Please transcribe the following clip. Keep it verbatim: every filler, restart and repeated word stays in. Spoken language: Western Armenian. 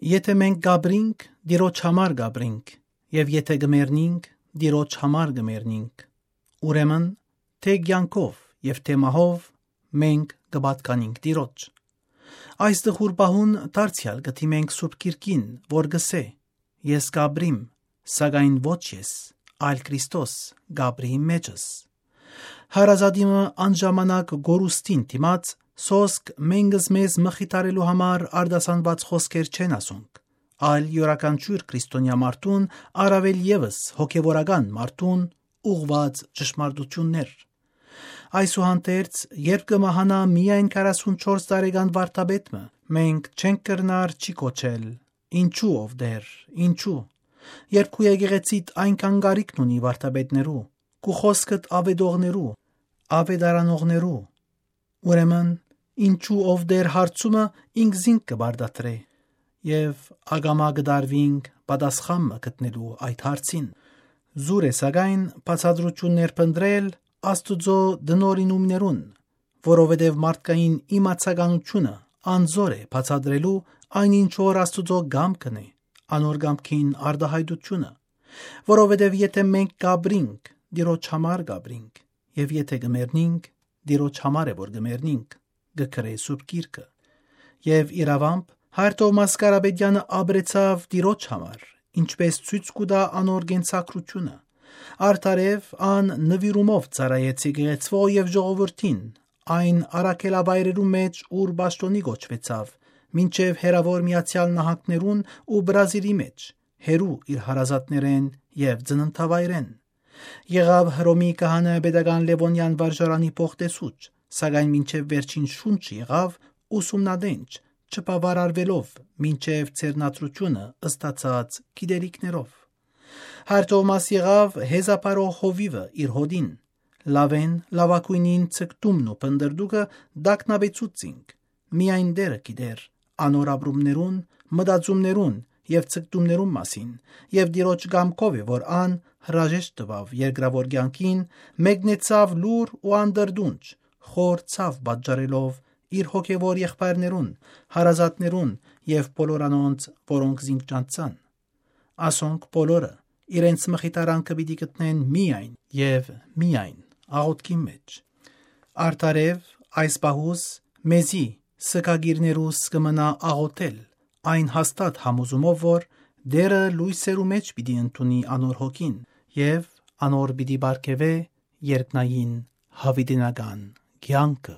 Եթէ մենք կ'ապրինք, Տիրոջ համար կ'ապրինք, եւ եթէ կը մեռնինք, Տիրոջ համար կը մեռնինք։ Ուրեմն, թէ կեանքով եւ թէ մահով, մենք կը պատկանինք Տիրոջ։ Այս տխուր պահուն դարձեալ կը դիմենք Սուրբ Գիրքին, որ կ'ըսէ. «Ես կ'ապրիմ, սակայն ոչ ես, այլ Քրիստոս կ'ապրի իմ մեջս»։ Հարազատի մը անժամանակ կորուստին դիմաց, սոսկ մենքս մեզ մխիթարելու համար արտասանուած խօսքեր չեն ասոնք, այլ իւրաքանչիւր քրիստոնեայ մարդուն, առաւել եւս հոգեվորական մարդուն, ուղղուած ճշմարտութիւններ։ Այսուհանդերձ, երբ կը մահանայ միայն քառասունչորս տարեկան վարդապետ մը, մենք չենք կրնար չի կոչել. «Ինչո՞ւ, ով Տէր, ինչո՞ւ»։ Երբ քու եկեղեցիդ այնքան կարիքն ունի վարդապետներու, քու խօսքդ աւետողներու, աւետարանողներու, ուրեմն, «Ինչո՞ւ, ով Տէր» հարցումը ինքզինք կը պարտադրէ, եւ ակամայ կը տարուինք պատասխան մը գտնելու այդ հարցին։ Զուր է, սակայն, բացատրութիւններ փնտռել Աստուծոյ տնօրինումներուն, որովհետեւ մարդկային իմացականութիւնը անզոր է բացատրելու այն, ինչ որ Աստուծոյ կամքն է, անոր կամքին արտայայտութիւնը, որովհետեւ եթէ մենք կ'ապրինք, Տիրոջ համար կ'ապրինք, եւ եթէ կը մեռնինք, Տիրոջ համար է որ կը մեռնինք, կը գրէ Սուրբ Գիրքը։ Եւ իրաւամբ, Հայր Թովմաս Կարապետեանը ապրեցաւ Տիրոջ համար, ինչպէս ցոյց կու տայ անոր կենսագրութիւնը։ Արդարեւ, ան նուիրումով ծառայեց եկեղեցւոյ եւ ժողովուրդին, այն առաքելավայրերու մէջ, ուր պաշտօնի կոչուեցաւ, մինչեւ հեռաւոր Միացեալ Նահանգներուն ու Բրազիլի մէջ, հեռու իր հարազատներէն եւ ծննդավայրէն։ Եղաւ Հռոմի քահանայապետական Լեւոնեան վարժարանի փոխտեսուչ, սակայն մինչեւ վերջին շունչը եղաւ ուսումնատենչ, չբաւարարուելով մինչեւ ձեռնադրութիւնը ստացած գիտելիքներով։ Հայր Թովմաս եղաւ հեզապարող հովիւը իր հօտին։ Լաւէն լաւագոյնին ցկտումն ու փնտռտուքը տագնապեցուց զինք։ Միայն Տէրը գիտեր անոր ապրումներուն, մտածումներուն եւ ցկտումներուն մասին, եւ Տիրոջ կամքով է, որ ան հրաժեշտ տուաւ երկրաւոր կեանքին, մեկնեցաւ լուռ ու անդրդունջ, խոր ցաւ պատճառելով իր հոգեվոր եղբայրներուն, հարազատներուն եւ բոլոր անոնց, որոնք զինք ճանչցան։ Ասոնք բոլորը իրենց մխիթարանքը պիտի գտնեն միայն եւ միայն աղօթքին մէջ։ Արդարեւ, այս պահուս մեզի, սգակիրներուս, կը մնայ աղօթել այն հաստատ համոզումով, որ Տէրը լոյսերու մէջ պիտի ընդունի անոր հոգին եւ անոր պիտի պարգեւէ երկնային յաւիտենական կեանքը։